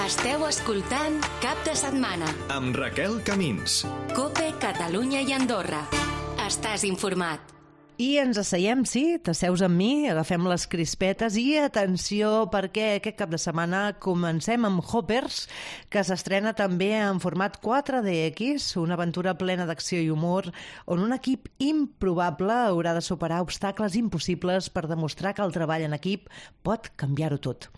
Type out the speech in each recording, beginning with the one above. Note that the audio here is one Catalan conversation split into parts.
Esteu escoltant Cap de Setmana amb Raquel Camins. COPE Catalunya i Andorra. Estàs informat. I ens asseiem, sí, t'asseus amb mi, agafem les crispetes i atenció perquè aquest cap de setmana comencem amb Hoppers, que s'estrena també en format 4DX, una aventura plena d'acció i humor on un equip improbable haurà de superar obstacles impossibles per demostrar que el treball en equip pot canviar-ho tot.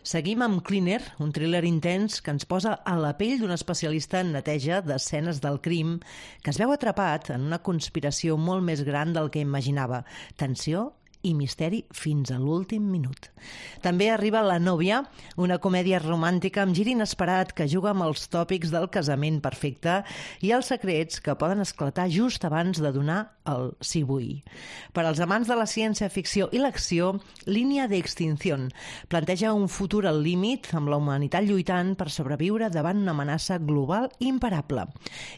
Seguim amb Cleaner, un thriller intens que ens posa a la pell d'un especialista en neteja d'escenes del crim que es veu atrapat en una conspiració molt més gran del que imaginava. Tensió i misteri fins a l'últim minut. També arriba La nòvia, una comèdia romàntica amb gir inesperat que juga amb els tòpics del casament perfecte i els secrets que poden esclatar just abans de donar el sí vull. Per als amants de la ciència-ficció i l'acció, Línia d'extinció planteja un futur al límit amb la humanitat lluitant per sobreviure davant una amenaça global imparable.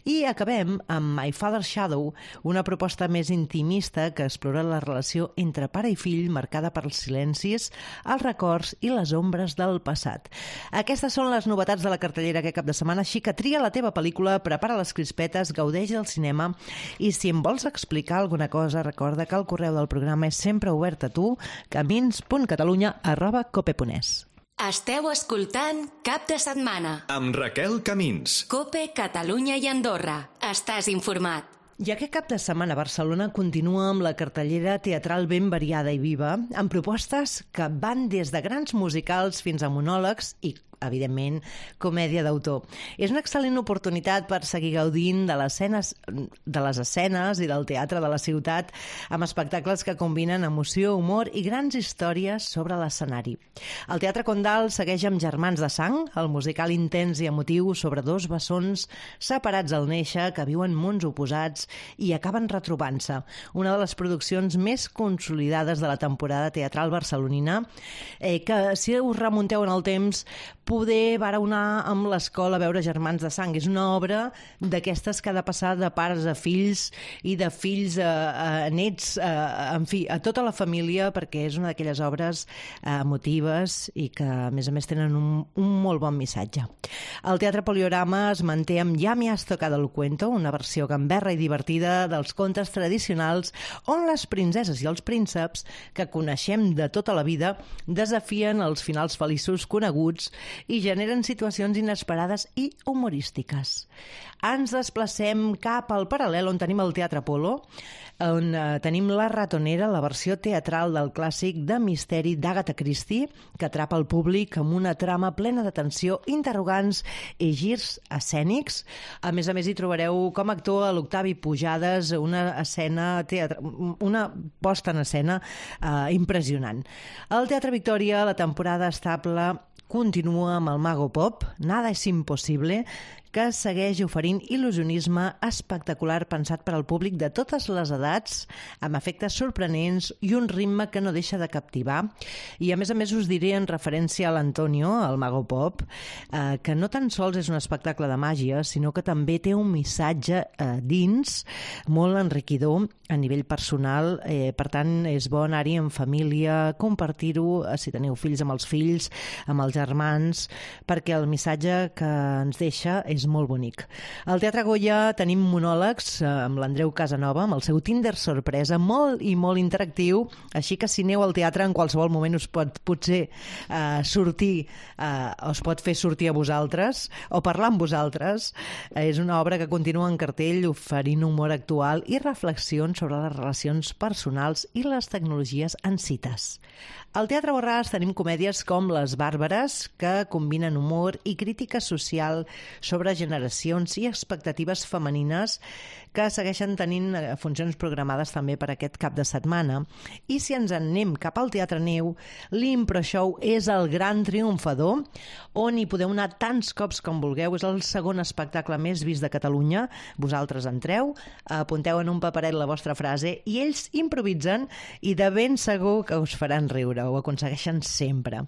I acabem amb My Father's Shadow, una proposta més intimista que explora la relació entre pare i fill marcada pels silencis, els records i les ombres del passat. Aquestes són les novetats de la cartellera aquest cap de setmana, així que tria la teva pel·lícula, prepara les crispetes, gaudeix del cinema i si em vols explicar alguna cosa, recorda que el correu del programa és sempre obert a tu, camins.catalunya@cope.es. Esteu escoltant Cap de Setmana Amb Raquel Camins. COPE Catalunya i Andorra. Estàs informat. I aquest cap de setmana Barcelona continua amb la cartellera teatral ben variada i viva, amb propostes que van des de grans musicals fins a monòlegs i, evidentment, comèdia d'autor. És una excel·lent oportunitat per seguir gaudint de les escenes i del teatre de la ciutat amb espectacles que combinen emoció, humor i grans històries sobre l'escenari. El Teatre Condal segueix amb Germans de sang, el musical intens i emotiu sobre dos bessons separats al néixer que viuen mons oposats i acaben retrobant-se. Una de les produccions més consolidades de la temporada teatral barcelonina, que si us remunteu en el temps poder vara anar amb l'escola a veure Germans de sang. És una obra d'aquestes que ha de passar de pares a fills i de fills a nets, en fi, a tota la família, perquè és una d'aquelles obres emotives i que, a més tenen un molt bon missatge. El Teatre Poliorama es manté amb Ja me has tocado el cuento, una versió gamberra i divertida dels contes tradicionals on les princeses i els prínceps que coneixem de tota la vida desafien els finals feliços coneguts i generen situacions inesperades i humorístiques. Ens desplacem cap al paral·lel on tenim el Teatre Apolo, on tenim La ratonera, la versió teatral del clàssic de misteri d'Agatha Christie, que atrapa el públic amb una trama plena de tensió, interrogants i girs escènics. A més, hi trobareu com actua l'Octavi Pujades, una posta en escena impressionant. Al Teatre Victòria, la temporada estable continua amb el Mago Pop, Nada es imposible, que segueix oferint il·lusionisme espectacular pensat per al públic de totes les edats, amb efectes sorprenents i un ritme que no deixa de captivar. I a més us diré en referència a l'Antonio, el Mago Pop, que no tan sols és un espectacle de màgia, sinó que també té un missatge dins molt enriquidor a nivell personal. Per tant, és bo anar-hi en família, compartir-ho, si teniu fills amb els fills, amb els germans, perquè el missatge que ens deixa és molt bonic. Al Teatre Goya tenim monòlegs amb l'Andreu Casanova, amb el seu Tinder sorpresa, molt i molt interactiu, així que si aneu al teatre en qualsevol moment us pot potser sortir, us pot fer sortir a vosaltres o parlar amb vosaltres. És una obra que continua en cartell oferint humor actual i reflexions sobre les relacions personals i les tecnologies en cites. Al Teatre Borràs tenim comèdies com Les Bàrbares, que combinen humor i crítica social sobre generacions i expectatives femenines, que segueixen tenint funcions programades també per aquest cap de setmana. I si ens en anem cap al Teatre Neu, l'Impro Show és el gran triomfador, on hi podeu anar tants cops com vulgueu. És el segon espectacle més vist de Catalunya. Vosaltres entreu, apunteu en un paperet la vostra frase i ells improvisen i de ben segur que us faran riure. Ho aconsegueixen sempre.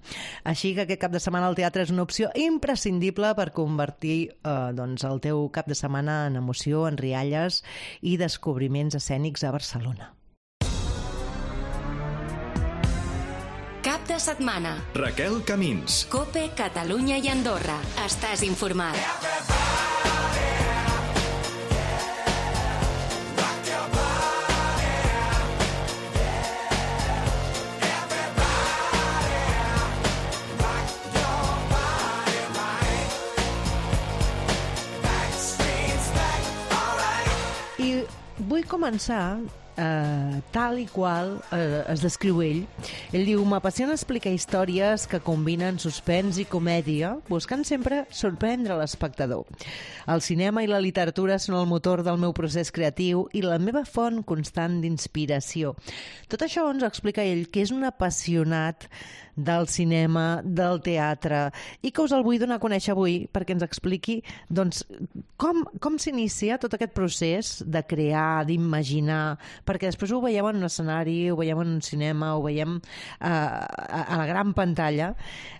Així que aquest cap de setmana al teatre és una opció imprescindible per convertir el teu cap de setmana en emoció, en rialles i descobriments escènics a Barcelona. Cap de la setmana. Raquel Camins. COPE, Catalunya i Andorra. Estàs informat. I vull començar tal i qual es descriu ell. Ell diu: m'apassiona explicar històries que combinen suspens i comèdia, buscant sempre sorprendre l'espectador. El cinema i la literatura són el motor del meu procés creatiu i la meva font constant d'inspiració. Tot això ens explica ell, que és un apassionat del cinema, del teatre, i que us el vull donar a conèixer avui perquè ens expliqui doncs, com s'inicia tot aquest procés de crear, d'imaginar, perquè després ho veiem en un escenari, ho veiem en un cinema, ho veiem a la gran pantalla,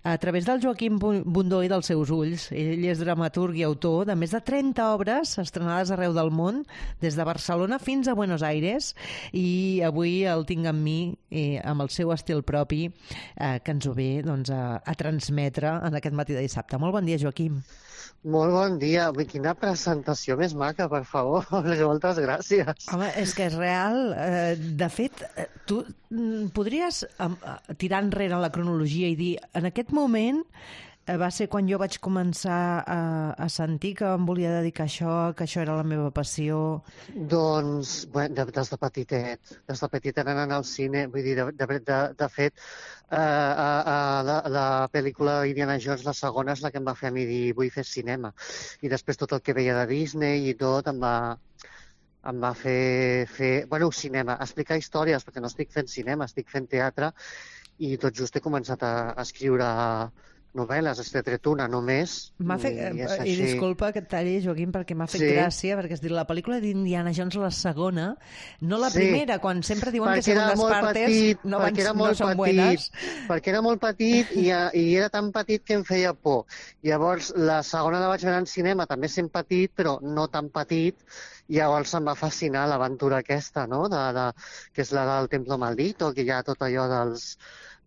a través del Joaquim Bundó i dels seus ulls. Ell és dramaturg i autor de més de 30 obres estrenades arreu del món, des de Barcelona fins a Buenos Aires, i avui el tinc amb mi, amb el seu estil propi, que ens ho ve doncs, a transmetre en aquest matí de dissabte. Molt bon dia, Joaquim. Molt bon dia. Quina presentació més maca, per favor. Moltes gràcies. Home, és que és real. De fet, tu podries tirar enrere la cronologia i dir, en aquest moment va ser quan jo vaig començar a sentir que em volia dedicar a això, que això era la meva passió. Doncs, des de petitet. Des de petitet anant al cine. Vull dir, de fet, la pel·lícula Indiana Jones, la segona, és la que em va fer a mi dir vull fer cinema. I després tot el que veia de Disney i tot em va fer cinema, explicar històries, perquè no estic fent cinema, estic fent teatre, i tot just he començat a escriure novel·les, he tret una només. I disculpa que et talli, Joaquim, perquè m'ha fet gràcia, perquè es diu la pel·lícula d'Indiana Jones, la segona, no la primera, quan sempre diuen que segundes partes no són buenas. Perquè era molt petit i era tan petit que em feia por. Llavors, la segona la vaig veure en cinema, també sent petit, però no tan petit, i llavors em va fascinar l'aventura aquesta, no? Que és la del Templo Maldito, que hi ha tot allò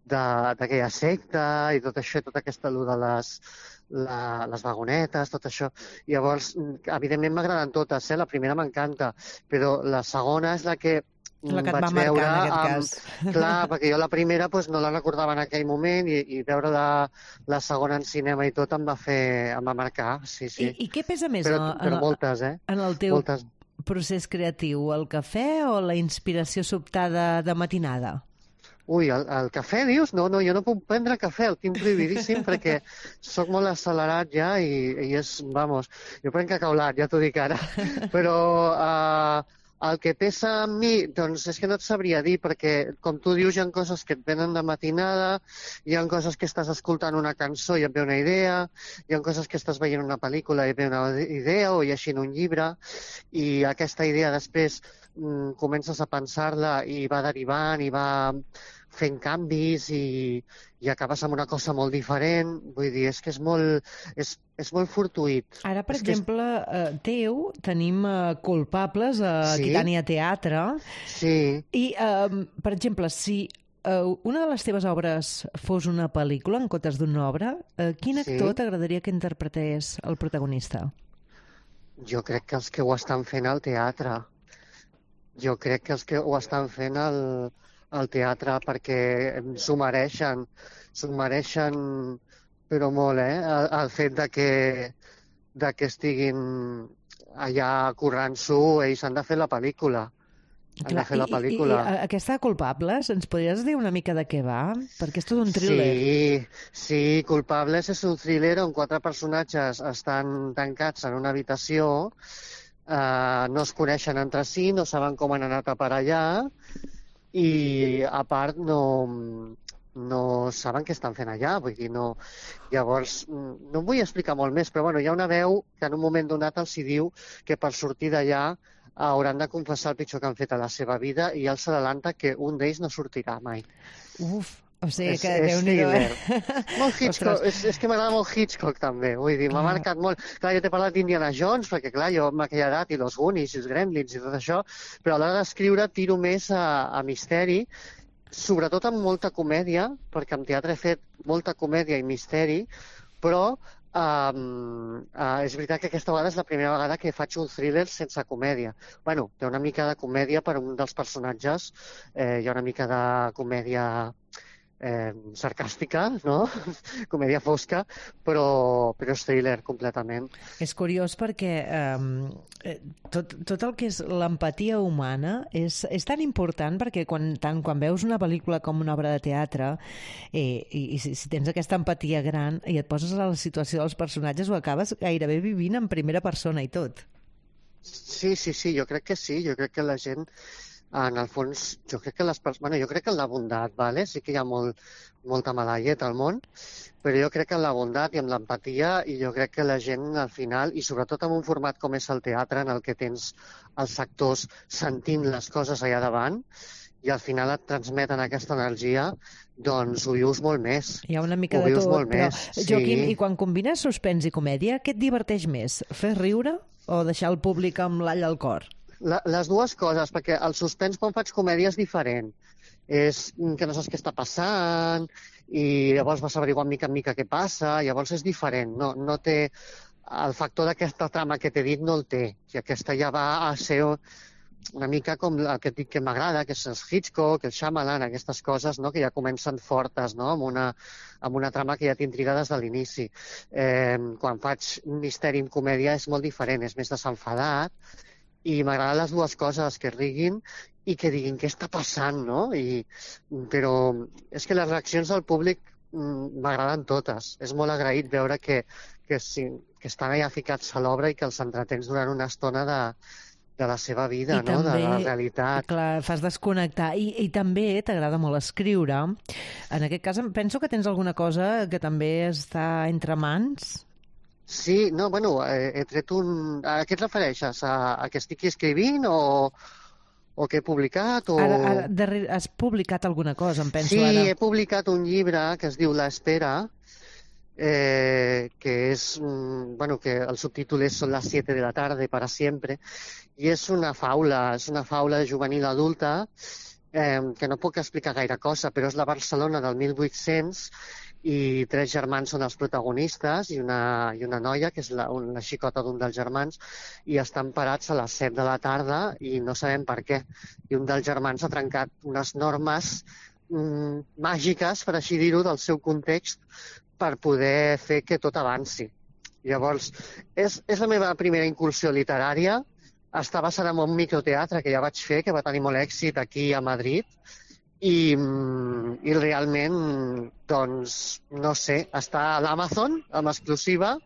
d'aquella secta i tot això, tota aquesta allò de les vagonetes, tot això. Llavors, evidentment m'agraden totes, la primera m'encanta, però la segona és la que et va vaig marcar, veure en aquest cas. Clar, perquè jo la primera no la recordava en aquell moment i veure la segona en cinema i tot em va marcar, sí. I què pesa més però moltes, en el teu moltes. Procés creatiu, el cafè o la inspiració sobtada de matinada? Ui, el cafè, dius? No, jo no puc prendre cafè, el tinc prohibidíssim perquè sóc molt accelerat ja i és, jo prenc cacaulat, ja t'ho dic ara. Però el que pesa en mi, doncs és que no et sabria dir, perquè com tu dius, hi ha coses que et venen de matinada, hi ha coses que estàs escoltant una cançó i et ve una idea, hi ha coses que estàs veient una pel·lícula i et ve una idea, o llegint un llibre, i aquesta idea després comences a pensar-la i va derivant i va fent canvis i acabes amb una cosa molt diferent. Vull dir, és que és molt fortuït. Ara, per exemple, teu tenim culpables a Aquitània Teatre. Sí. I, per exemple, si una de les teves obres fos una pel·lícula en comptes d'una obra, quin actor t'agradaria que interpretés el protagonista? Jo crec que els que ho estan fent al teatre. Jo crec que els que ho estan fent al teatre, perquè s'ho mereixen però molt, el fet de que estiguin allà currant-s'ho, ells han de fer la pel·lícula. I aquesta Culpables, ens podries dir una mica de què va? Perquè és tot un thriller. Sí, Culpables és un thriller on 4 personatges estan tancats en una habitació, no es coneixen entre si, no saben com han anat a parar allà i a part no saben què estan fent allà, vull dir, no. Llavors, no em vull explicar molt més, però hi ha una veu que en un moment donat els hi diu que per sortir d'allà hauran de confessar el pitjor que han fet a la seva vida i els adelanta que un d'ells no sortirà mai. Uf! O sigui que Déu-n'hi-do, Molt Hitchcock, és que m'agrada molt Hitchcock també, vull dir, m'ha marcat molt. Clar, jo t'he parlat d'Indiana Jones, perquè clar, jo amb aquella edat i los Goonies i els Gremlins i tot això, però a l'hora d'escriure tiro més a misteri sobretot amb molta comèdia, perquè en teatre he fet molta comèdia i misteri, però és veritat que aquesta vegada és la primera vegada que faig un thriller sense comèdia. Bueno, té una mica de comèdia per un dels personatges, hi ha una mica de comèdia sarcàstica, no? Comèdia fosca, però és thriller completament. És curiós perquè tot el que és l'empatia humana és tan important perquè tant quan veus una pel·lícula com una obra de teatre i si tens aquesta empatia gran i et poses a la situació dels personatges ho acabes gairebé vivint en primera persona i tot. Sí, jo crec que sí. Jo crec que la gent en el fons, jo crec que en la bondat, vale? Sí que hi ha molta mala llet al món, però jo crec que en la bondat i en l'empatia, i jo crec que la gent al final, i sobretot en un format com és el teatre, en el que tens els actors sentint les coses allà davant, i al final et transmeten aquesta energia, doncs ho vius molt més. Hi ha una mica de tot, però sí. Joaquim, i quan combines suspens i comèdia, què et diverteix més? Fer riure o deixar el públic amb l'all al cor? Les dues coses, perquè el suspens quan faig comèdia és diferent. És que no saps què està passant i llavors vas averiguar mica en mica què passa, llavors és diferent. No té el factor d'aquesta trama que t'he dit, no el té. I aquesta ja va a ser una mica com el que et dic que m'agrada, que és el Hitchcock, el Shyamalan, aquestes coses, no? Que ja comencen fortes, no? amb una trama que ja t'intriga des de l'inici. Quan faig misteri en comèdia és molt diferent, és més desenfadat, i m'agraden les dues coses, que riguin i que diguin què està passant, no? Però és que les reaccions del públic m'agraden totes. És molt agraït veure que estan allà ficats a l'obra i que els entretens durant una estona de la seva vida, no? De la realitat. Clar, fas desconnectar. I també t'agrada molt escriure. En aquest cas, penso que tens alguna cosa que també està entre mans. Sí, no, bueno, he tret a què et refereixes? A què estic escrivint o què he publicat? Ara has publicat alguna cosa, em penso ara. Sí, he publicat un llibre que es diu La Espera, que és, bueno, que el subtítol és Son las 7 de la tarde para siempre, i és una faula juvenil adulta que no puc explicar gaire cosa, però és la Barcelona del 1800 i 3 germans són els protagonistes i una noia, que és la xicota d'un dels germans, i estan parats a les 7 de la tarda i no sabem per què. I un dels germans ha trencat unes normes màgiques, per així dir-ho, del seu context per poder fer que tot avanci. Llavors, és la meva primera incursió literària. Està basada en un microteatre que ja vaig fer, que va tenir molt èxit aquí a Madrid, i realment, doncs, no sé, està a l'Amazon, amb exclusiva,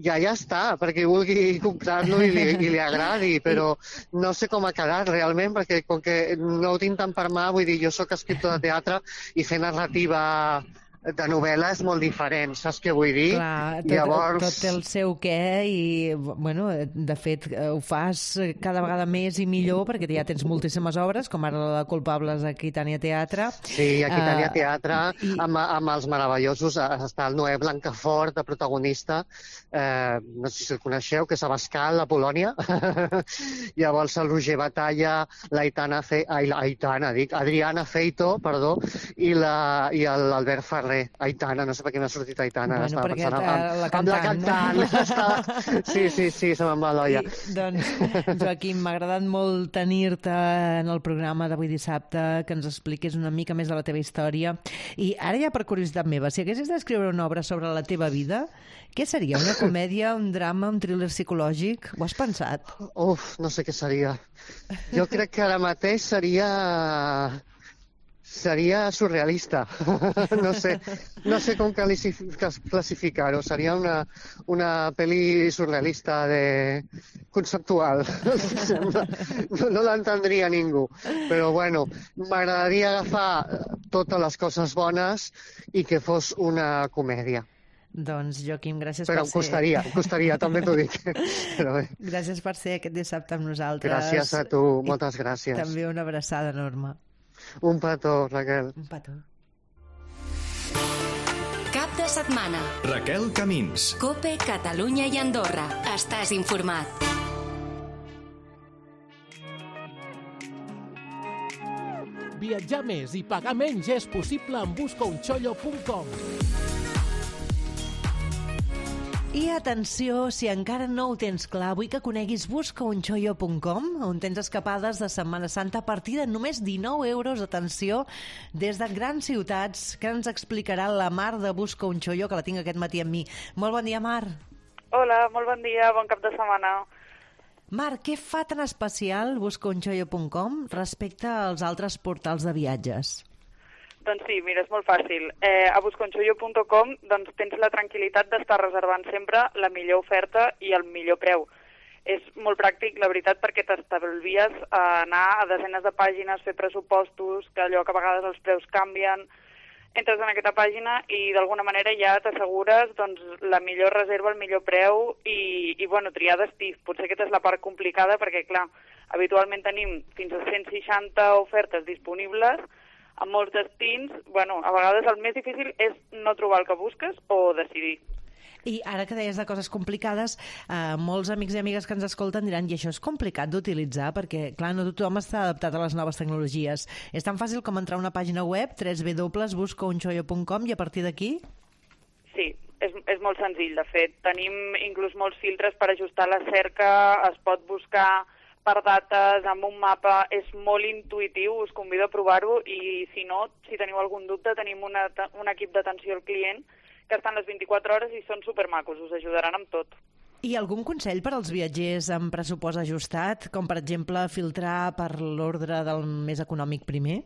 ja està, perquè vulgui comprar-lo i li agradi, però no sé com ha quedat realment, perquè com que no ho tinc tant per mà, vull dir, jo sóc escriptor de teatre i fer narrativa de novel·la és molt diferent, saps què vull dir? Clar, tot té el seu què i, bueno, de fet, ho fas cada vegada més i millor perquè ja tens moltíssimes obres, com ara la de Culpables a Aquitània Teatre. Sí, a Aquitània Teatre, amb els meravellosos, està el Noé Blancafort, de protagonista, no sé si el coneixeu, que és Abascal, a Polònia. Llavors el Roger Batalla, Adriana Feito, perdó, i l'Albert Ferrer. Aitana, no sé per què m'ha sortit Aitana. Bueno, perquè la cantant. Sí, se me'n va l'olla. Doncs, Joaquim, m'ha agradat molt tenir-te en el programa d'avui dissabte, que ens expliquis una mica més de la teva història. I ara ja per curiositat meva, si haguessis d'escriure una obra sobre la teva vida, què seria? Una comèdia, un drama, un thriller psicològic? Ho has pensat? Uf, no sé què seria. Jo crec que ara mateix seria surrealista. No sé com classificar-ho. Seria una pel·li surrealista conceptual. No l'entendria ningú. Però bueno, m'agradaria agafar totes les coses bones i que fos una comèdia. Doncs, Joaquim, gràcies per ser... Però em costaria, també t'ho dic. Però bé. Gràcies per ser aquest dissabte amb nosaltres. Gràcies a tu, moltes gràcies. També una abraçada enorme. Un petó, Raquel. Un petó. Cap de setmana. Raquel Camins. COPE, Catalunya i Andorra. Estàs informat. Viatjar més i pagar menys és possible amb buscaunchollo.com. I atenció, si encara no ho tens clar, vull que coneguis buscaunchollo.com, on tens escapades de Setmana Santa a partir de només 19 euros, atenció, des de grans ciutats, que ens explicarà la Mar de Busca un Chollo, que la tinc aquest matí amb mi. Molt bon dia, Mar. Hola, molt bon dia, bon cap de setmana. Mar, què fa tan especial buscaunchollo.com respecte als altres portals de viatges? Doncs sí, mira, és molt fàcil. A buscaunchollo.com doncs, tens la tranquil·litat d'estar reservant sempre la millor oferta i el millor preu. És molt pràctic, la veritat, perquè t'estalvies a anar a desenes de pàgines, fer pressupostos, que allò que a vegades els preus canvien. Entres en aquesta pàgina i d'alguna manera ja t'assegures doncs, la millor reserva, el millor preu i bueno, triar destí. Potser aquesta és la part complicada perquè, clar, habitualment tenim fins a 160 ofertes disponibles a molts destins. Bueno, a vegades el més difícil és no trobar el que busques o decidir. I ara que deies de coses complicades, molts amics i amigues que ens escolten diran i això és complicat d'utilitzar perquè, clar, no tothom està adaptat a les noves tecnologies. És tan fàcil com entrar a una pàgina web, www.buscaunchollo.com, i a partir d'aquí? Sí, és molt senzill, de fet. Tenim inclús molts filtres per ajustar la cerca, es pot buscar per dates, amb un mapa, és molt intuïtiu, us convido a provar-ho i si no, si teniu algun dubte, tenim un equip d'atenció al client que estan les 24 hores i són supermacos, us ajudaran amb tot. I algun consell per als viatgers amb pressupost ajustat, com per exemple filtrar per l'ordre del més econòmic primer?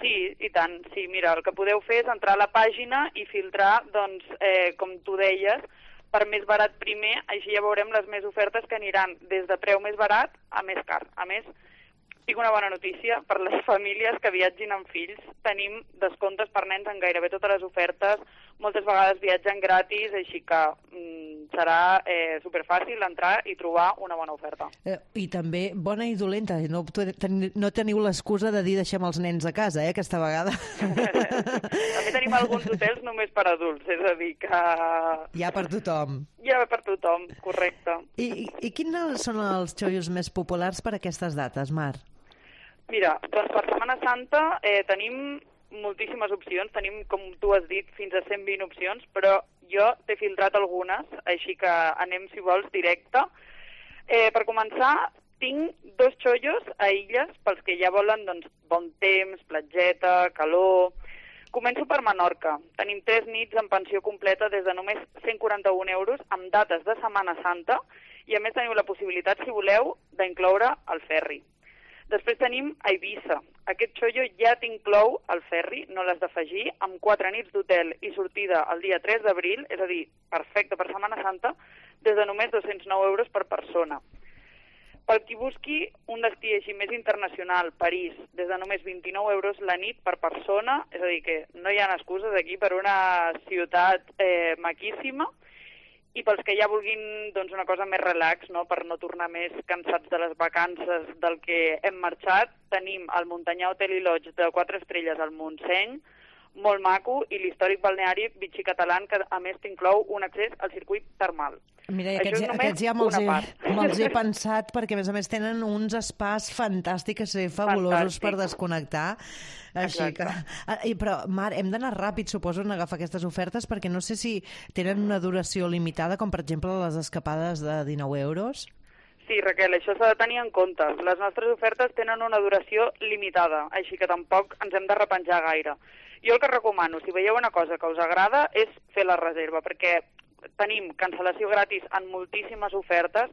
Sí, i tant. Sí, mira, el que podeu fer és entrar a la pàgina i filtrar, doncs, com tu deies, per més barat primer, així ja veurem les més ofertes que aniran des de preu més barat a més car. A més, tinc una bona notícia per les famílies que viatgin amb fills. Tenim descomptes per nens en gairebé totes les ofertes, moltes vegades viatgen gratis, així que serà superfàcil entrar i trobar una bona oferta. I també bona i dolenta, no teniu l'excusa de dir deixem els nens a casa, aquesta vegada. També tenim alguns hotels només per adults, és a dir que... Hi ha per tothom. Hi ha per tothom, correcte. I quins són els xollos més populars per aquestes dates, Mar? Mira, doncs per Setmana Santa tenim moltíssimes opcions, tenim, com tu has dit, fins a 120 opcions, però jo t'he filtrat algunes, així que anem, si vols, directe. Per començar, tinc 2 xollos a illes, pels que ja volen doncs, bon temps, platgeta, calor. Començo per Menorca. Tenim 3 nits en pensió completa des de només 141 euros amb dates de Setmana Santa i a més teniu la possibilitat, si voleu, d'incloure el ferri. Després tenim a Eivissa. Aquest xollo ja t'inclou el ferri, no l'has d'afegir, amb 4 nits d'hotel i sortida el dia 3 d'abril, és a dir, perfecte per Setmana Santa, des de només 209 euros per persona. Pel qui busqui un destí així més internacional, París, des de només 29 euros la nit per persona, és a dir, que no hi ha excuses aquí per una ciutat maquíssima, i pels que ja vulguin doncs, una cosa més relax, no? Per no tornar més cansats de les vacances del que hem marxat, tenim el Montanyà Hotel i Lodge de 4 estrelles al Montseny, molt maco, i l'històric balneari Vichy Catalán, que a més t'inclou un accés al circuit termal. Mira, aquests ja me'ls he pensat, perquè a més tenen uns espais fantàstics i fabulosos per desconnectar. Així que... Però, Mar, hem d'anar ràpid, suposo, en agafar aquestes ofertes, perquè no sé si tenen una duració limitada, com per exemple les escapades de 19 euros. Sí, Raquel, això s'ha de tenir en compte. Les nostres ofertes tenen una duració limitada, així que tampoc ens hem de repenjar gaire. Jo el que recomano, si veieu una cosa que us agrada, és fer la reserva, perquè tenim cancel·lació gratis en moltíssimes ofertes,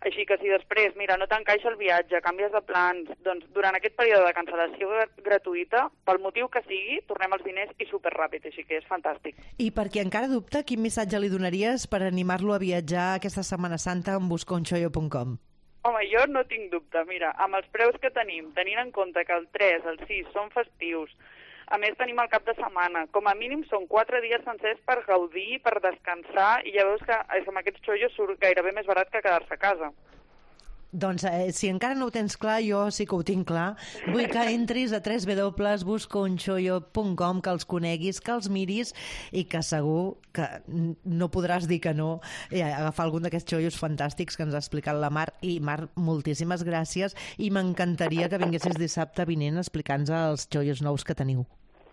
així que si després, mira, no t'encaixa el viatge, canvies de plans, doncs durant aquest període de cancel·lació gratuïta, pel motiu que sigui, tornem els diners i superràpid, així que és fantàstic. I per qui encara dubta, quin missatge li donaries per animar-lo a viatjar aquesta Setmana Santa amb buscaunchollo.com? Home, jo no tinc dubte. Mira, amb els preus que tenim, tenint en compte que el 3, el 6 són festius, a més tenim el cap de setmana, com a mínim són 4 dies sencers per gaudir, per descansar, i ja veus que amb aquests xollos surt gairebé més barat que quedar-se a casa. Doncs si encara no ho tens clar, jo sí que ho tinc clar. Vull que entris a www.buscaunchollo.com, que els coneguis, que els miris i que segur que no podràs dir que no agafar algun d'aquests xollos fantàstics que ens ha explicat la Mar. I Mar, moltíssimes gràcies i m'encantaria que vinguessis dissabte vinent a explicar-nos els xollos nous que teniu.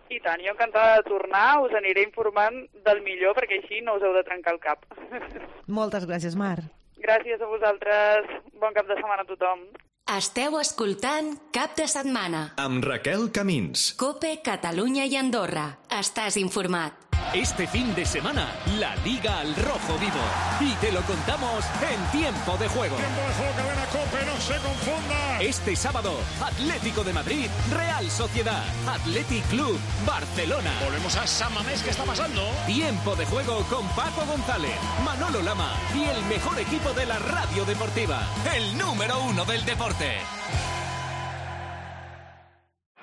I tant, jo encantada de tornar, us aniré informant del millor perquè així no us heu de trencar el cap. Moltes gràcies, Mar. Gràcies a vosaltres. Bon cap de setmana a tothom. Esteu escoltant Cap de Setmana. Amb Raquel Camins. COPE, Catalunya i Andorra. Estàs informat. Este fin de semana, la Liga al Rojo Vivo. Y te lo contamos en Tiempo de Juego. Tiempo de Juego, cadena COPE, no se confunda. Este sábado, Atlético de Madrid, Real Sociedad, Athletic Club, Barcelona. Volvemos a San Mamés, ¿qué está pasando? Tiempo de Juego con Paco González, Manolo Lama y el mejor equipo de la radio deportiva. El número 1 del deporte.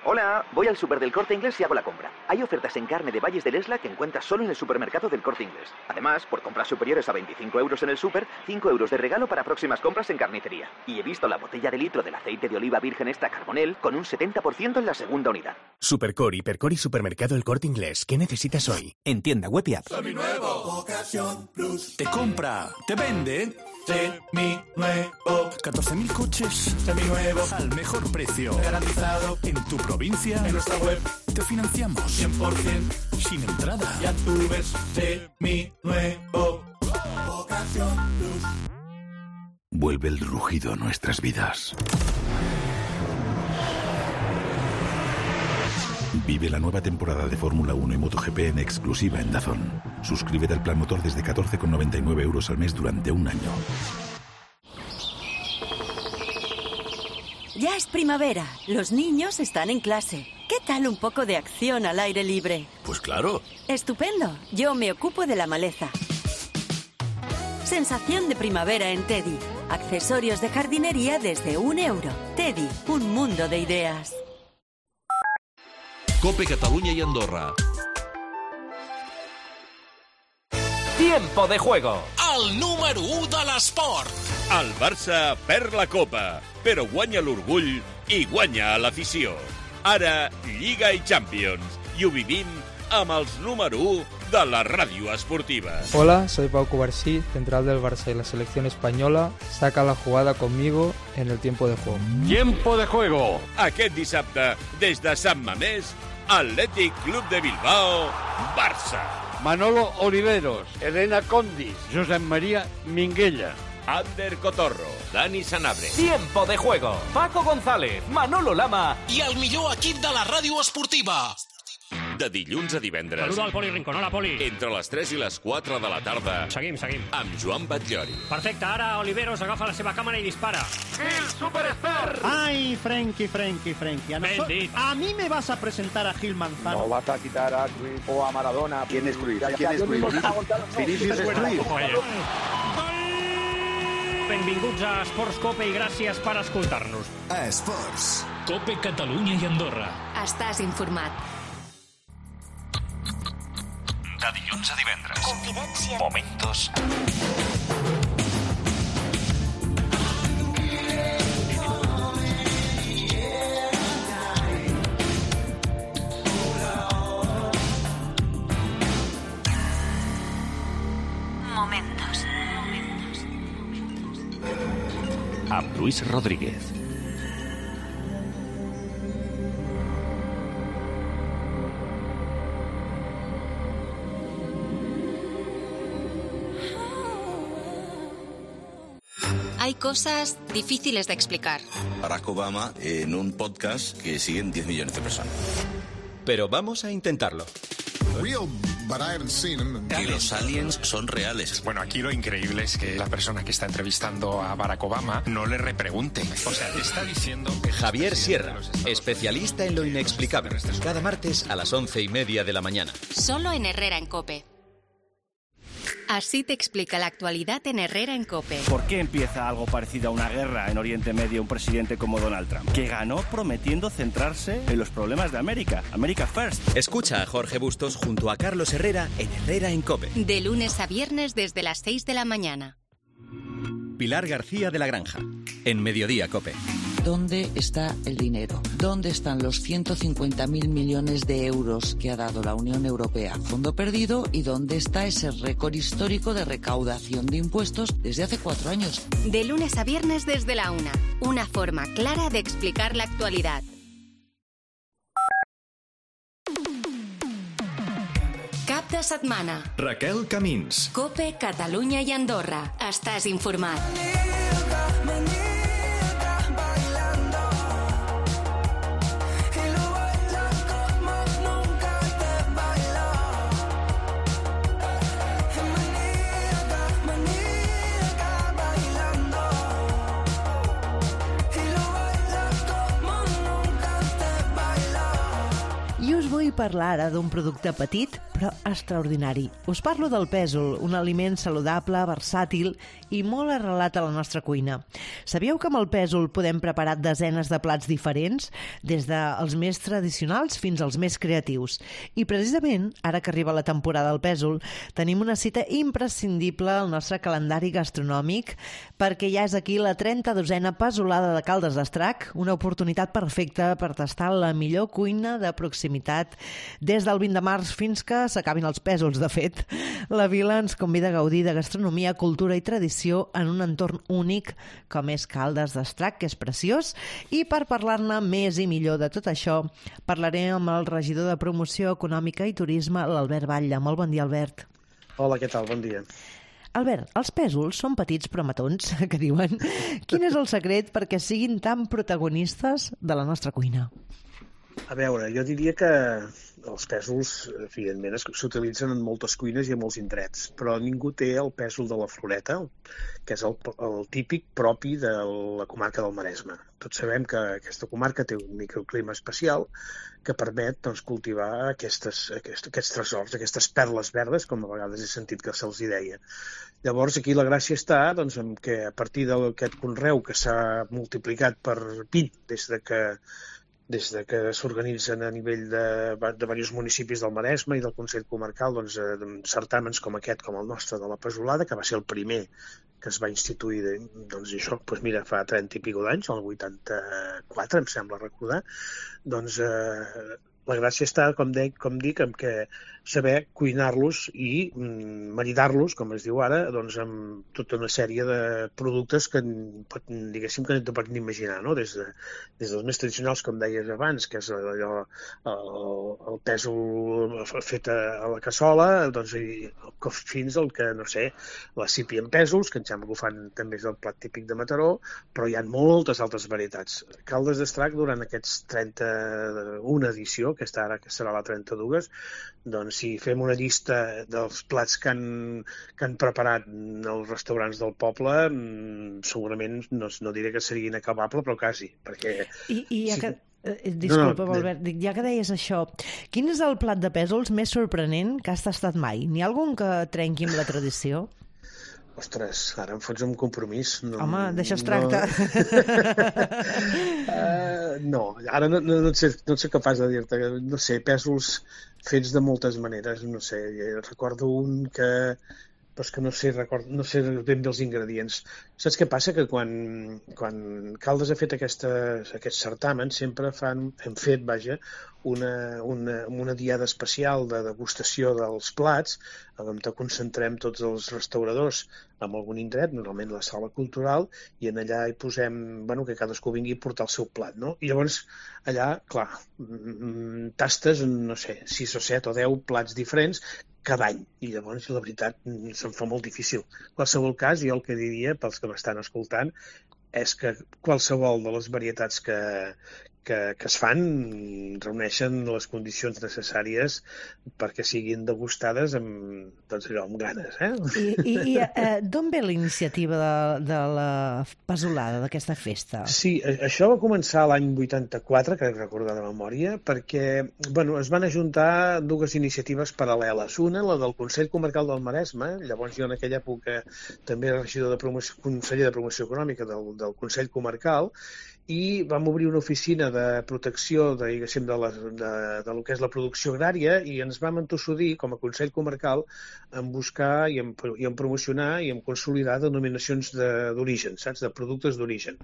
Hola, voy al súper del Corte Inglés y hago la compra. Hay ofertas en carne de Valles del Esla que encuentras solo en el supermercado del Corte Inglés. Además, por compras superiores a 25 euros en el súper, 5 euros de regalo para próximas compras en carnicería. Y he visto la botella de litro del aceite de oliva virgen extra Carbonell con un 70% en la segunda unidad. Supercor, Hipercor y Supermercado El Corte Inglés. ¿Qué necesitas hoy? En tienda web y app. Seminuevo, Ocasión Plus. Te compra, te vende. Seminuevo. 14.000 coches Seminuevos. al mejor precio. Garantizado. En tu provincia. En nuestra web. Te financiamos. 100%. Sin entrada. Ya tú ves. Seminuevo. Ocasión Plus. Vuelve el rugido a nuestras vidas. Vive la nueva temporada de Fórmula 1 y MotoGP en exclusiva en DAZN. Suscríbete al plan motor desde 14,99 euros al mes durante un año. Ya es primavera. Los niños están en clase. ¿Qué tal un poco de acción al aire libre? Pues claro. Estupendo. Yo me ocupo de la maleza. Sensación de primavera en Teddy. Accesorios de jardinería desde €1. Teddy, un mundo de ideas. COPE Catalunya i Andorra. Tiempo de Juego. El número 1 de l'esport. El Barça perd la Copa, però guanya l'orgull i guanya l'afició. Ara, Lliga i Champions. I ho vivim amb els número 1 de la ràdio esportiva. Hola, soy Pau Cubarsí, central del Barça y la selección española. Saca la jugada conmigo en el tiempo de juego. Tiempo de Juego. Aquest dissabte, des de Sant Mamés, Athletic Club de Bilbao, Barça. Manolo Oliveros, Elena Condis, Josep María Minguella, Ander Cotorro, Dani Sanabria. Tiempo de Juego. Paco González, Manolo Lama i el millor equip de la ràdio esportiva. De dilluns a divendres. Saluda al Poli Rincón. Hola, Poli. Entre les 3 i les 4 de la tarda. Seguim. Amb Joan Batllori. Perfecte, ara Oliveros agafa la seva càmera i dispara. ¡Gil Superstar! ¡Ay, Frenkie! A mí me vas a presentar a Gil Manzano. No vas a quitar a Cruyff o a Maradona. ¿Quién es Cruyff? Vinicius es Cruyff. Benvinguts a Esports Cope i gràcies per escoltar-nos. A Esports. COPE Catalunya i Andorra. Estàs informat. De dilluns a divendres. Confidència. Momentos. Momentos. Amb Luis Rodríguez. Hay cosas difíciles de explicar. Barack Obama en un podcast que siguen 10 millones de personas. Pero vamos a intentarlo. Que los aliens son reales. Bueno, aquí lo increíble es que la persona que está entrevistando a Barack Obama no le repregunte. O sea, le está diciendo... Javier Sierra, especialista en lo inexplicable. Cada martes a las 11:30 de la mañana. Solo en Herrera en COPE. Así te explica la actualidad en Herrera en COPE. ¿Por qué empieza algo parecido a una guerra en Oriente Medio un presidente como Donald Trump? Que ganó prometiendo centrarse en los problemas de América. America First. Escucha a Jorge Bustos junto a Carlos Herrera en Herrera en COPE. De lunes a viernes desde las 6 de la mañana. Pilar García de la Granja, en Mediodía COPE. ¿Dónde está el dinero? ¿Dónde están los 150.000 millones de euros que ha dado la Unión Europea? Fondo perdido. ¿Y dónde está ese récord histórico de recaudación de impuestos desde hace 4 años? De lunes a viernes desde la 1. Una forma clara de explicar la actualidad. Cap de setmana. Raquel Camins. COPE, Catalunya i Andorra. Estàs informat. Vull parlar ara d'un producte petit però extraordinari. Us parlo del pèsol, un aliment saludable, versàtil i molt arrelat a la nostra cuina. Sabíeu que amb el pèsol podem preparar desenes de plats diferents, des dels més tradicionals fins als més creatius? I precisament, ara que arriba la temporada del pèsol, tenim una cita imprescindible al nostre calendari gastronòmic, perquè ja és aquí la 32a pèsolada de Caldes d'Estrac, una oportunitat perfecta per tastar la millor cuina de proximitat des del 20 de març fins que s'acabin els pèsols. De fet, la vila ens convida a gaudir de gastronomia, cultura i tradició en un entorn únic com és Caldes d'Estrac, que és preciós, i per parlar-ne més i millor de tot això parlaré amb el regidor de Promoció Econòmica i Turisme, l'Albert Batlle. Molt bon dia, Albert. Hola, què tal? Bon dia. Albert, els pèsols són petits però matons, que diuen. Quin és el secret perquè siguin tan protagonistes de la nostra cuina? A veure, jo diria que els pèsols, evidentment, s'utilitzen en moltes cuines i en molts indrets, però ningú té el pèsol de la Floreta, que és el típic propi de la comarca del Maresme. Tots sabem que aquesta comarca té un microclima especial que permet cultivar aquests tresors, aquestes perles verdes, com a vegades he sentit que se'ls deia. Llavors, aquí la gràcia està en que a partir d'aquest conreu que s'ha multiplicat per 20 des que s'organitzen a nivell de diversos municipis del Maresme i del Consell Comarcal certàmens com aquest, com el nostre de la pèsolada, que va ser el primer que es va instituir fa 30 i pico d'anys, el 84, em sembla recordar. La gràcia està, com dic, en què saber cuinar-los i maridar-los, com es diu ara, amb tota una sèrie de productes que, diguéssim, que no te pots imaginar, no? Des dels més tradicionals, com deies abans, que és allò, el pèsol fet a la cassola, fins al que, no sé, la sípia en pèsols, que em sembla que ho fan també és el plat típic de Mataró, però hi ha moltes altres varietats. Caldes d'Estrac, durant aquests 31 edició, aquesta ara que serà la 32, si fem una llista dels plats que han preparat els restaurants del poble, segurament no diré que seria inacabable, però quasi, perquè... Disculpa, Albert, ja que deies això, quin és el plat de pèsols més sorprenent que has tastat mai? N'hi ha algun que trenqui amb la tradició? Ostres, ara em fots un compromís. Home, d'això es tracta. No, ara no ets capaç de dir-te. No sé, pèsols fets de moltes maneres, no sé. Recordo un que no sé ben bé els ingredients. Saps què passa? Que quan Caldes ha fet aquests certàmens sempre hem fet una diada especial de degustació dels plats on concentrem tots els restauradors en algun indret, normalment la sala cultural, i en allà hi posem que cadascú vingui a portar el seu plat, no? I llavors allà, clar, tastes, no sé, 6 o 7 o 10 plats diferents cada any, i llavors la veritat se'm fa molt difícil. En qualsevol cas, jo el que diria pels que m'estan escoltant és que qualsevol de les varietats que es fan reuneixen les condicions necessàries perquè siguin degustades amb ganes. I d'on ve la iniciativa de la pèsolada, d'aquesta festa? Sí, això va començar l'any 84, crec recordar de memòria, perquè es van ajuntar dues iniciatives paral·leles. Una, la del Consell Comarcal del Maresme, llavors jo en aquella època també era regidor conseller de Promoció Econòmica del Consell Comarcal, i vam obrir una oficina de protecció diguéssim, de lo que és la producció agrària i ens vam entossudir com a Consell Comarcal en buscar i en promocionar i en consolidar denominacions d'origen, saps? De productes d'origen.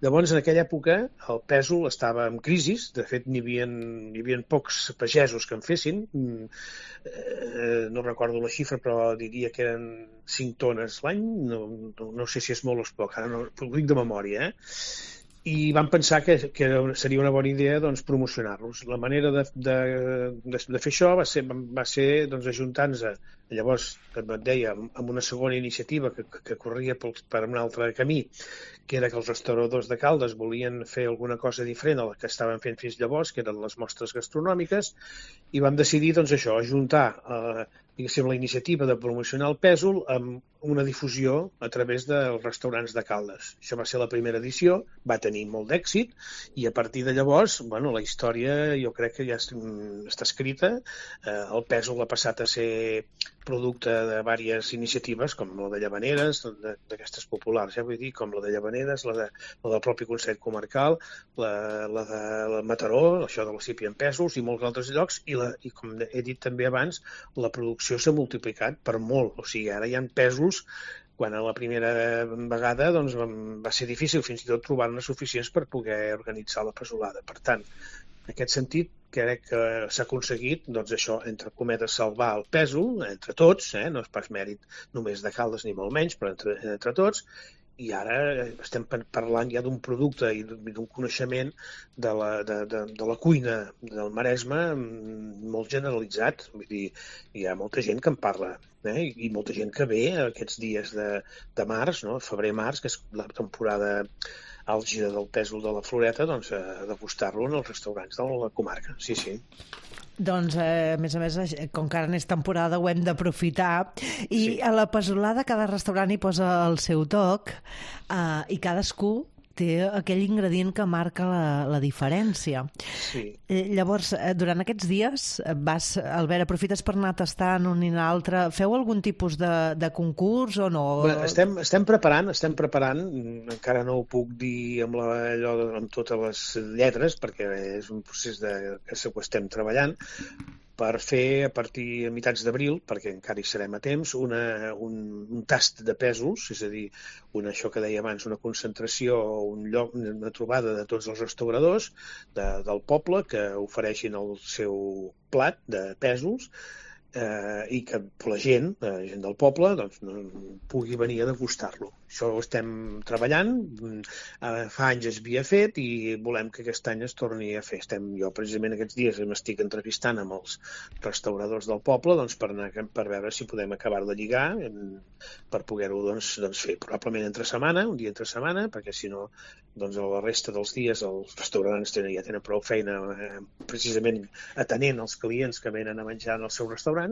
Llavors, en aquella època, el pèsol estava en crisi, de fet n'hi havia pocs pagesos que en fessin, no recordo la xifra, però diria que eren 5 tones l'any, no sé si és molt o és poc, ara no, ho dic de memòria, i vam pensar que seria una bona idea doncs, promocionar-los. La manera de fer això va ser doncs, ajuntar-nos llavors, com et deia, amb una segona iniciativa que corria per un altre camí, que era que els restauradors de Caldes volien fer alguna cosa diferent a la que estaven fent fins llavors, que eren les mostres gastronòmiques, i vam decidir doncs, això, ajuntar la iniciativa de promocionar el pèsol amb una difusió a través dels restaurants de Caldes. Això va ser la primera edició, va tenir molt d'èxit i a partir de llavors, bueno, la història jo crec que ja està escrita. El pèsol ha passat a ser producte de diverses iniciatives, com la de Llavaneres, d'aquestes populars, vull dir, com la de Llavaneres, la del propi Consell Comarcal, la de Mataró, això de l'Ecipi en pèsols i molts altres llocs, i com he dit també abans, la producció s'ha multiplicat per molt, o sigui, ara hi ha pèsols quan a la primera vegada doncs, va ser difícil fins i tot trobar-ne suficients per poder organitzar la pèsolada. Per tant, en aquest sentit, crec que s'ha aconseguit, doncs això, entre cometes, salvar el pèsol, entre tots, no és pas mèrit només de Caldes ni molt menys, però entre tots, i ara estem parlant ja d'un producte i d'un coneixement de la cuina del Maresme molt generalitzat. Vull dir, hi ha molta gent que en parla, i molta gent que ve aquests dies de març, febrer-març, que és la temporada àlgida del pèsol de la Floreta, doncs a degustar-lo en els restaurants de la comarca. Sí, sí. Doncs, a més, com que ara n'és temporada, ho hem d'aprofitar. I a la pèsolada cada restaurant hi posa el seu toc i cadascú té aquell ingredient que marca la diferència. Sí. Llavors, durant aquests dies, Albert, aprofites per anar tastant un i l'altre. Feu algun tipus de concurs o no? Bé, estem preparant, encara no ho puc dir amb totes les lletres, perquè és un procés que ho estem treballant, per fer a partir de mitjans d'abril, perquè encara hi serem a temps, un tast de pèsols, és a dir, això que deia abans, una concentració, una trobada de tots els restauradors del poble que ofereixin el seu plat de pèsols i que la gent del poble doncs, pugui venir a degustar-lo. Això ho estem treballant, fa anys es havia fet i volem que aquest any es torni a fer. Jo precisament aquests dies m'estic entrevistant amb els restauradors del poble doncs, per veure si podem acabar de lligar per poder-ho fer probablement un dia entre setmana, perquè si no doncs, la resta dels dies els restaurants ja tenen prou feina precisament atenent els clients que venen a menjar en els seus restaurants.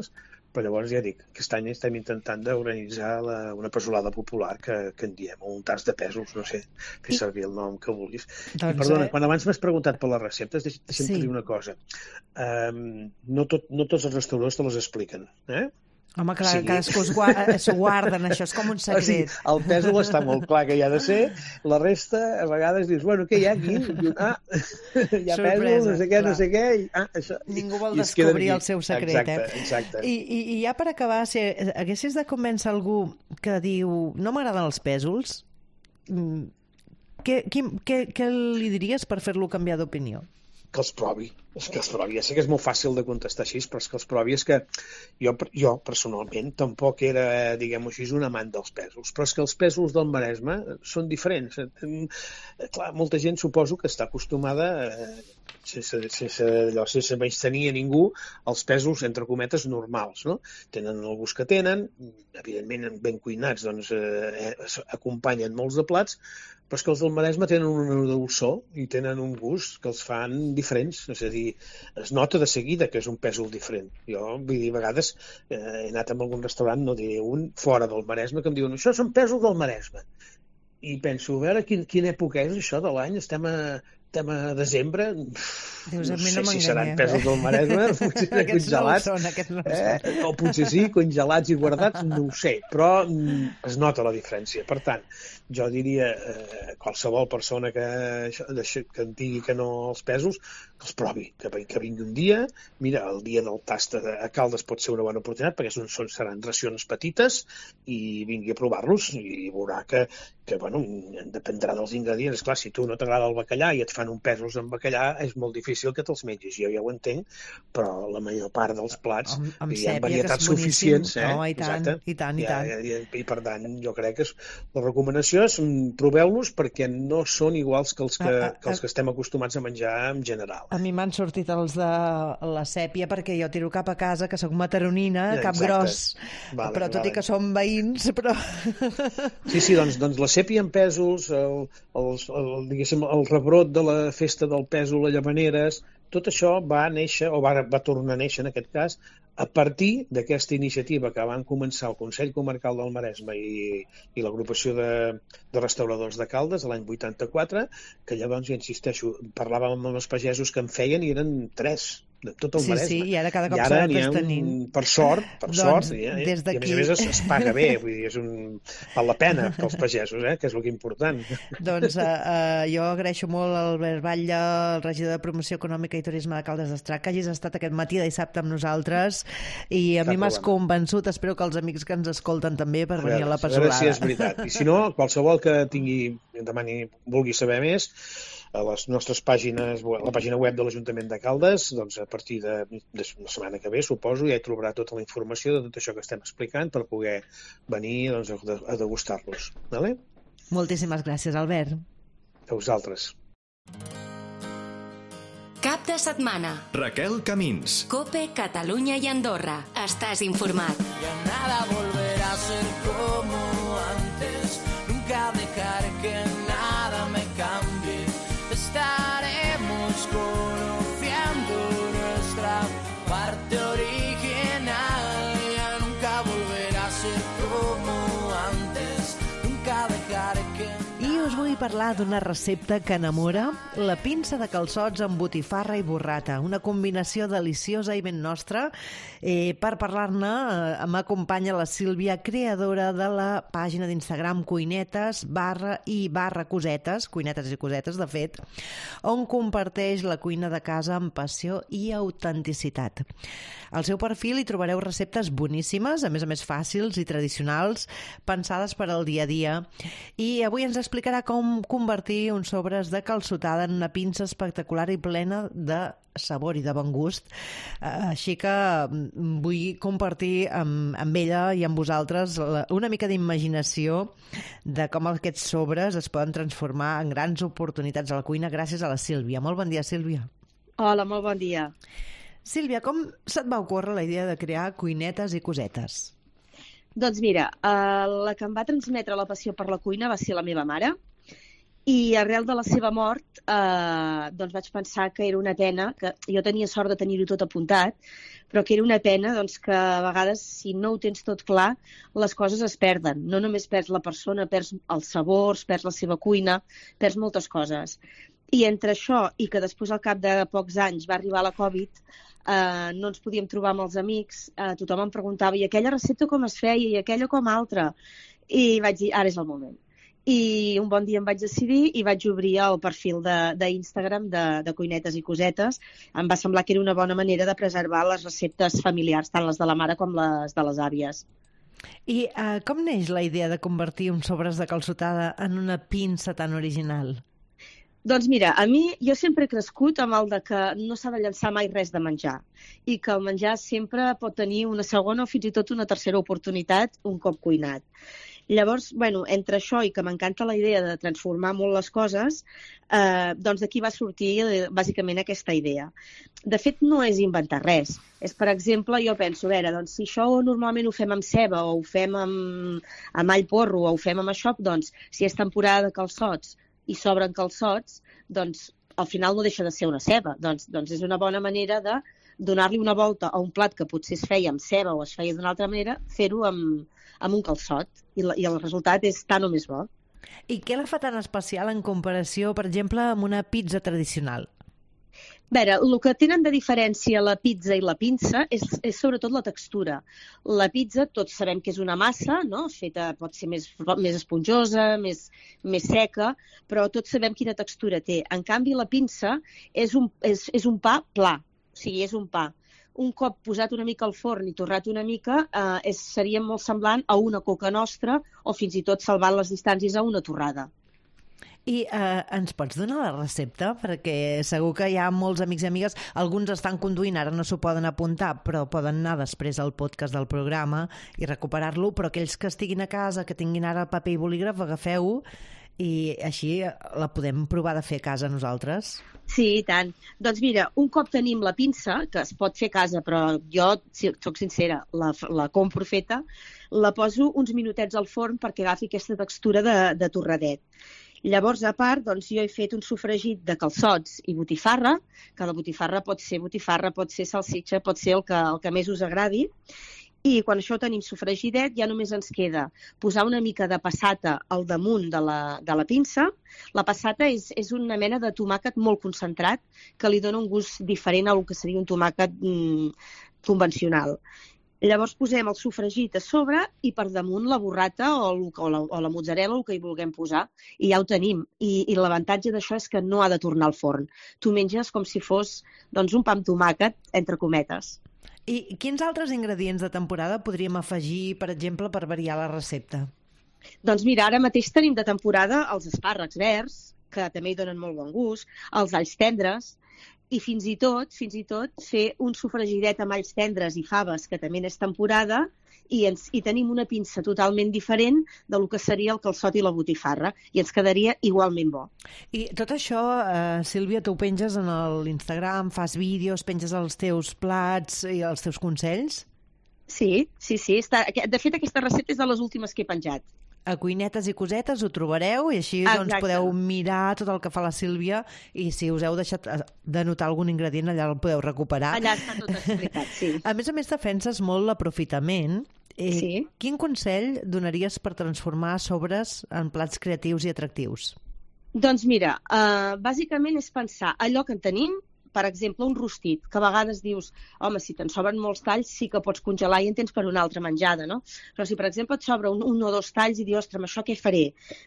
Però llavors ja dic, aquest any estem intentant d'organitzar una pèsolada popular que en diem, o un tast de pèsols, no sé, fer servir el nom que vulguis. I perdona, quan abans m'has preguntat per les receptes, deixa'm dir una cosa. No tots els restauradors te les expliquen, Home, clar, cadascú s'ho guarden, això és com un secret. Sí, el pèsol està molt clar que hi ha de ser, la resta, a vegades dius, bueno, què hi ha aquí? Hi ha pèsol, no sé què, això. Ningú vol descobrir el seu secret, Exacte. I ja per acabar, si haguessis de convèncer algú que diu, no m'agraden els pèsols, què li diries per fer-lo canviar d'opinió? Que els provi. Ja sé que és molt fàcil de contestar així, però és que els provi. És que jo personalment tampoc era, diguem-ho així, un amant dels pèsols, però és que els pèsols del Maresme són diferents. Clar, molta gent suposo que està acostumada, sense menystenir a ningú, als pèsols, entre cometes, normals, no? Tenen el gust que tenen, evidentment ben cuinats, doncs acompanyen molts de plats, però és que els del Maresme tenen una dolçor i tenen un gust que els fan diferents, és a dir, es nota de seguida que és un pèsol diferent. Jo, vull dir, a vegades he anat a algun restaurant, no diré un, fora del Maresme, que em diuen, això són pèsols del Maresme. I penso, a veure, quina època és això de l'any? Estem a tema de desembre, Dius, no sé si seran pèsols del Maresme, potser congelats, o potser sí, congelats i guardats, no ho sé, però es nota la diferència. Per tant, jo diria qualsevol persona que en digui que no els pèsols, que els provi, que vingui un dia. Mira, el dia del tast a Caldes pot ser una bona oportunitat, perquè seran racions petites, i vingui a provar-los i veurà que bueno, dependrà dels ingredients. Clar, si tu no t'agrada el bacallà i et fan un pèsols amb bacallà, és molt difícil que te'ls mengis. Jo ja ho entenc, però la major part dels plats hi ha varietats suficients. I tant. I per tant, jo crec que la recomanació és proveu-los, perquè no són iguals que els que estem acostumats a menjar en general. A mi m'han sortit els de la sèpia, perquè jo tiro cap a casa, que sóc mataronina, cap gros, però tot i que som veïns, però... Sí, doncs la sèpia en pèsols, el rebrot de la festa del pèsol a Llavaneres, tot això va néixer, o va tornar a néixer en aquest cas, a partir d'aquesta iniciativa que van començar el Consell Comarcal del Maresme i l'agrupació de restauradors de Caldes l'any 84, que llavors, ja insisteixo, parlàvem amb els pagesos que en feien i eren 3 de tot el Maresme. Sí, i ara cada cop s'ha de tenir. Per sort, i a més es paga bé, vull dir, val la pena pels pagesos, que és el que important. Doncs jo agraeixo molt al Albert Batlle, el regidor de Promoció Econòmica i Turisme de Caldes d'Estrac, que hagis estat aquest matí de dissabte amb nosaltres, i a mi m'has convençut, espero que els amics que ens escolten també, per venir a la Pesolada. A veure si és veritat. I si no, qualsevol que vulgui saber més, a les nostres pàgines, la pàgina web de l'Ajuntament de Caldes, doncs a partir de la setmana que ve, suposo, ja hi trobarà tota la informació de tot això que estem explicant per poder venir a degustar-los. Vale? Moltíssimes gràcies, Albert. A vosaltres. Cap de setmana. Raquel Camins. COPE, Catalunya i Andorra. Estàs informat. Ya nada volverá a ser como antes. Nunca dejaré que nada me cambie. Estaremos conociendo nuestra parte original. Ya nunca volverá a ser como antes. Nunca dejaré que... I us vull parlar d'una recepta que enamora, la pinça de calçots amb botifarra i burrata, una combinació deliciosa i ben nostra. Per parlar-ne m'acompanya la Sílvia, creadora de la pàgina d'Instagram cuinetes/cosetes, cuinetes i cosetes, de fet, on comparteix la cuina de casa amb passió i autenticitat. Al seu perfil hi trobareu receptes boníssimes, a més fàcils i tradicionals, pensades per al dia a dia, i avui ens explicarà com convertir uns sobres de calçotada en una pinça espectacular i plena de sabor i de bon gust. Així que vull compartir amb ella i amb vosaltres una mica d'imaginació de com aquests sobres es poden transformar en grans oportunitats a la cuina gràcies a la Sílvia. Molt bon dia, Sílvia. Hola, molt bon dia. Sílvia, com se't va ocórrer la idea de crear cuinetes i cosetes? Doncs mira, la que em va transmetre la passió per la cuina va ser la meva mare, i arrel de la seva mort doncs vaig pensar que era una pena, que jo tenia sort de tenir-ho tot apuntat, però que era una pena doncs, que a vegades, si no ho tens tot clar, les coses es perden. No només perds la persona, perds els sabors, perds la seva cuina, perds moltes coses. I entre això i que després, al cap de pocs anys, va arribar la Covid, no ens podíem trobar amb els amics, tothom em preguntava i aquella recepta com es feia i aquella com altra, i vaig dir, ara és el moment. I un bon dia em vaig decidir i vaig obrir el perfil d'Instagram de cuinetes i cosetes. Em va semblar que era una bona manera de preservar les receptes familiars, tant les de la mare com les de les àvies. I com neix la idea de convertir uns sobres de calçotada en una pinça tan original? Doncs mira, a mi jo sempre he crescut amb el de que no s'ha de llançar mai res de menjar i que el menjar sempre pot tenir una segona o fins i tot una tercera oportunitat un cop cuinat. Llavors, entre això i que m'encanta la idea de transformar molt les coses, doncs d'aquí va sortir bàsicament aquesta idea. De fet, no és inventar res. És, per exemple, jo penso, doncs si això normalment ho fem amb ceba o ho fem amb all porro o ho fem amb això, doncs si és temporada de calçots i sobren calçots, doncs al final no deixa de ser una ceba. Doncs és una bona manera de donar-li una volta a un plat que potser es feia amb ceba o es feia d'una altra manera, fer-ho amb un calçot i el resultat és tan o més bo. I què la fa tan especial en comparació, per exemple, amb una pizza tradicional? A veure, el que tenen de diferència la pizza i la pinça és sobretot la textura. La pizza, tots sabem que és una massa, no? Feta, pot ser més esponjosa, més seca, però tots sabem quina textura té. En canvi, la pinça és un pa pla, o sigui, és un pa. Un cop posat una mica al forn i torrat una mica, seria molt semblant a una coca nostra o fins i tot salvant les distàncies a una torrada. I ens pots donar la recepta? Perquè segur que hi ha molts amics i amigues, alguns estan conduint, ara no s'ho poden apuntar, però poden anar després al podcast del programa i recuperar-lo, però aquells que estiguin a casa, que tinguin ara paper i bolígraf, agafeu-ho i així la podem provar de fer a casa nosaltres. Sí, i tant. Doncs mira, un cop tenim la pinça, que es pot fer a casa, però jo, si soc sincera, la compro feta, la poso uns minutets al forn perquè agafi aquesta textura de torradet. Llavors, a part, doncs, jo he fet un sofregit de calçots i botifarra, que la botifarra, pot ser salsitxa, pot ser el que més us agradi. I quan això ho tenim sofregidet, ja només ens queda posar una mica de passata al damunt de la pinça. La passata és una mena de tomàquet molt concentrat que li dona un gust diferent al que seria un tomàquet convencional. Llavors posem el sofregit a sobre i per damunt la burrata o la mozzarella, el que hi vulguem posar, i ja ho tenim. I l'avantatge d'això és que no ha de tornar al forn. Tu menges com si fos un pa amb tomàquet, entre cometes. I quins altres ingredients de temporada podríem afegir, per exemple, per variar la recepta? Doncs mira, ara mateix tenim de temporada els espàrrecs verds, que també hi donen molt bon gust, els alls tendres, i fins i tot fer un sofregidet amb alls tendres i faves, que també és temporada, i tenim una pinça totalment diferent del que seria el calçot i la botifarra, i ens quedaria igualment bo. I tot això, Sílvia, tu ho penges en l'Instagram, fas vídeos, penges els teus plats i els teus consells? Sí. De fet, aquesta recepta és de les últimes que he penjat. A Cuinetes i Cosetes ho trobareu i així doncs, podeu mirar tot el que fa la Sílvia i si us heu deixat d'anotar algun ingredient allà el podeu recuperar. Allà està tot explicat, sí. A més, defenses molt l'aprofitament. Sí. Quin consell donaries per transformar sobres en plats creatius i atractius? Doncs mira, bàsicament és pensar allò que en tenim, per exemple, un rostit, que a vegades dius, home, si te'n sobren molts talls sí que pots congelar i en tens per una altra menjada, no? Però si, per exemple, et sobra un o dos talls i dius, ostres, amb això què faré?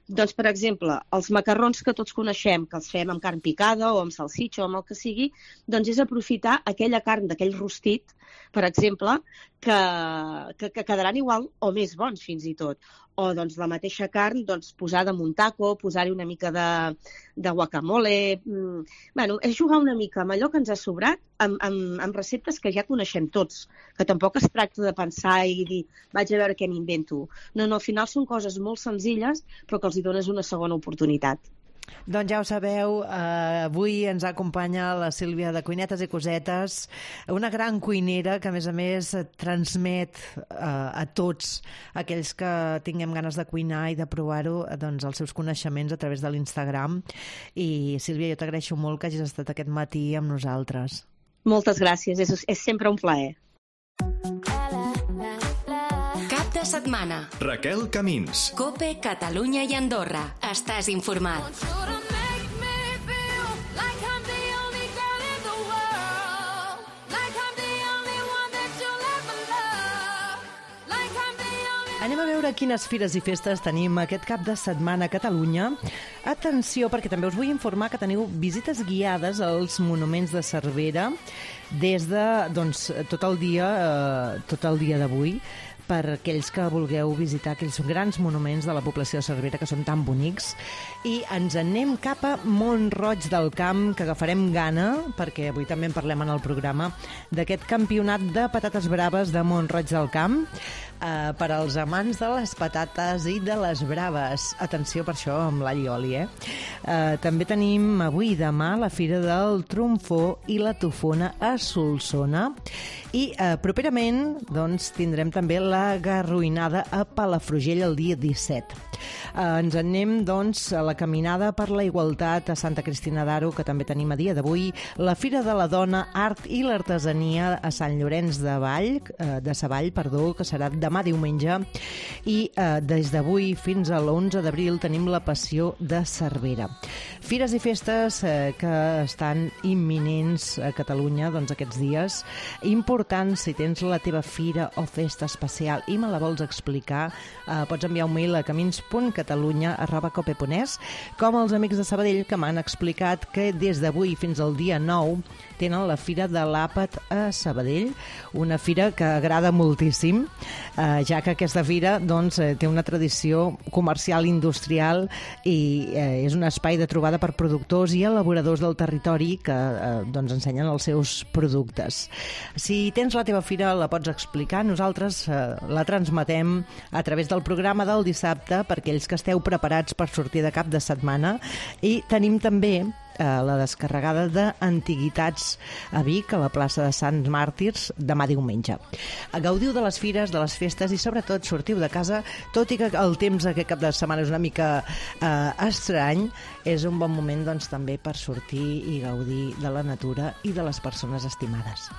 Doncs, per exemple, els macarrons que tots coneixem, que els fem amb carn picada o amb salsitxa o amb el que sigui, doncs és aprofitar aquella carn d'aquell rostit, per exemple, que quedaran igual o més bons fins i tot. O doncs la mateixa carn posada en un taco, posar-hi una mica de guacamole. Bueno, és jugar una mica amb allò que ens ha sobrat amb receptes que ja coneixem tots, que tampoc es tracta de pensar i dir vaig a veure què m'invento. No, al final són coses molt senzilles però que els hi dones una segona oportunitat. Doncs ja ho sabeu, avui ens acompanya la Sílvia de Cuinetes i Cosetes, una gran cuinera que a més transmet a tots aquells que tinguem ganes de cuinar i de provar-ho doncs, els seus coneixements a través de l'Instagram. I Sílvia, jo t'agraeixo molt que hagis estat aquest matí amb nosaltres. Moltes gràcies, és sempre un plaer. De setmana. Raquel Camins. COPE, Catalunya i Andorra. Estàs informat. Anem a veure quines fires i festes tenim aquest cap de setmana a Catalunya. Atenció, perquè també us vull informar que teniu visites guiades als monuments de Cervera des de tot el dia d'avui, per aquells que vulgueu visitar aquells grans monuments de la població de Cervera que són tan bonics. I ens anem cap a Mont-roig del Camp, que agafarem gana, perquè avui també en parlem en el programa, d'aquest campionat de patates braves de Mont-roig del Camp, per als amants de les patates i de les braves. Atenció per això amb l'all i oli, També tenim avui i demà la Fira del Trumfó i la Tofona a Solsona. I properament tindrem també la Garroinada a Palafrugell el dia 17. Ens anem, a la Caminada per la Igualtat a Santa Cristina d'Aro, que també tenim a dia d'avui, la Fira de la Dona, Art i l'Artesania a Sant Llorenç de Savall, que serà demà diumenge, i des d'avui fins a l'11 d'abril tenim la Passió de Cervera. Fires i festes que estan imminents a Catalunya aquests dies. Important, si tens la teva fira o festa especial i me la vols explicar, pots enviar un mail a camins.catalunya@cope.es, com els amics de Sabadell que m'han explicat que des d'avui fins al dia 9 tenen la Fira de l'Àpat a Sabadell, una fira que agrada moltíssim, ja que aquesta fira té una tradició comercial industrial i és un espai de trobada per productors i elaboradors del territori que ensenyen els seus productes. Si tens la teva fira, la pots explicar. Nosaltres la transmetem a través del programa del dissabte per aquells que esteu preparats per sortir de cap de setmana, i tenim també la descarregada d'antiguitats a Vic, a la plaça de Sants Màrtirs, demà diumenge. Gaudiu de les fires, de les festes i sobretot sortiu de casa, tot i que el temps aquest cap de setmana és una mica estrany, és un bon moment també per sortir i gaudir de la natura i de les persones estimades.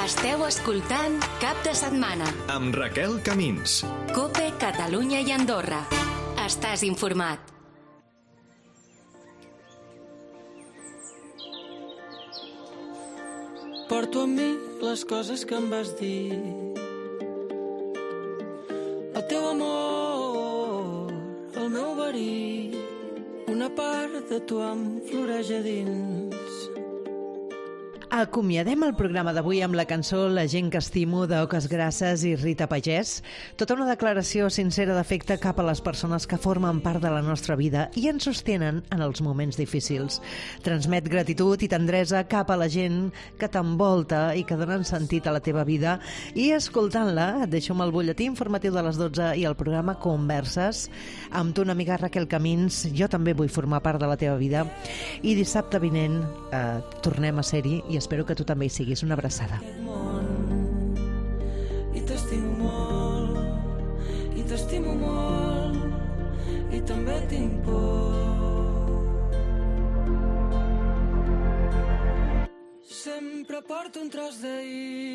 Esteu escoltant Cap de Setmana amb Raquel Camins. Cope, Catalunya i Andorra. Estàs informat. Porto amb mi les coses que em vas dir. El teu amor, el meu verí, una part de tu em floreix a dins. Acomiadem el programa d'avui amb la cançó La gent que estimo, d'Oques Grasses i Rita Pagès. Tota una declaració sincera d'afecte cap a les persones que formen part de la nostra vida i ens sostenen en els moments difícils. Transmet gratitud i tendresa cap a la gent que t'envolta i que donen sentit a la teva vida. I escoltant-la, et deixo amb el butlletí informatiu de les 12 i el programa Converses. Amb tu, una amiga Raquel Camins, jo també vull formar part de la teva vida. I dissabte vinent tornem a ser-hi i espero que tu també hi siguis. Una abraçada. I t'estimo molt, i t'estimo molt, i també tinc por. Sempre porto un tros d'ahir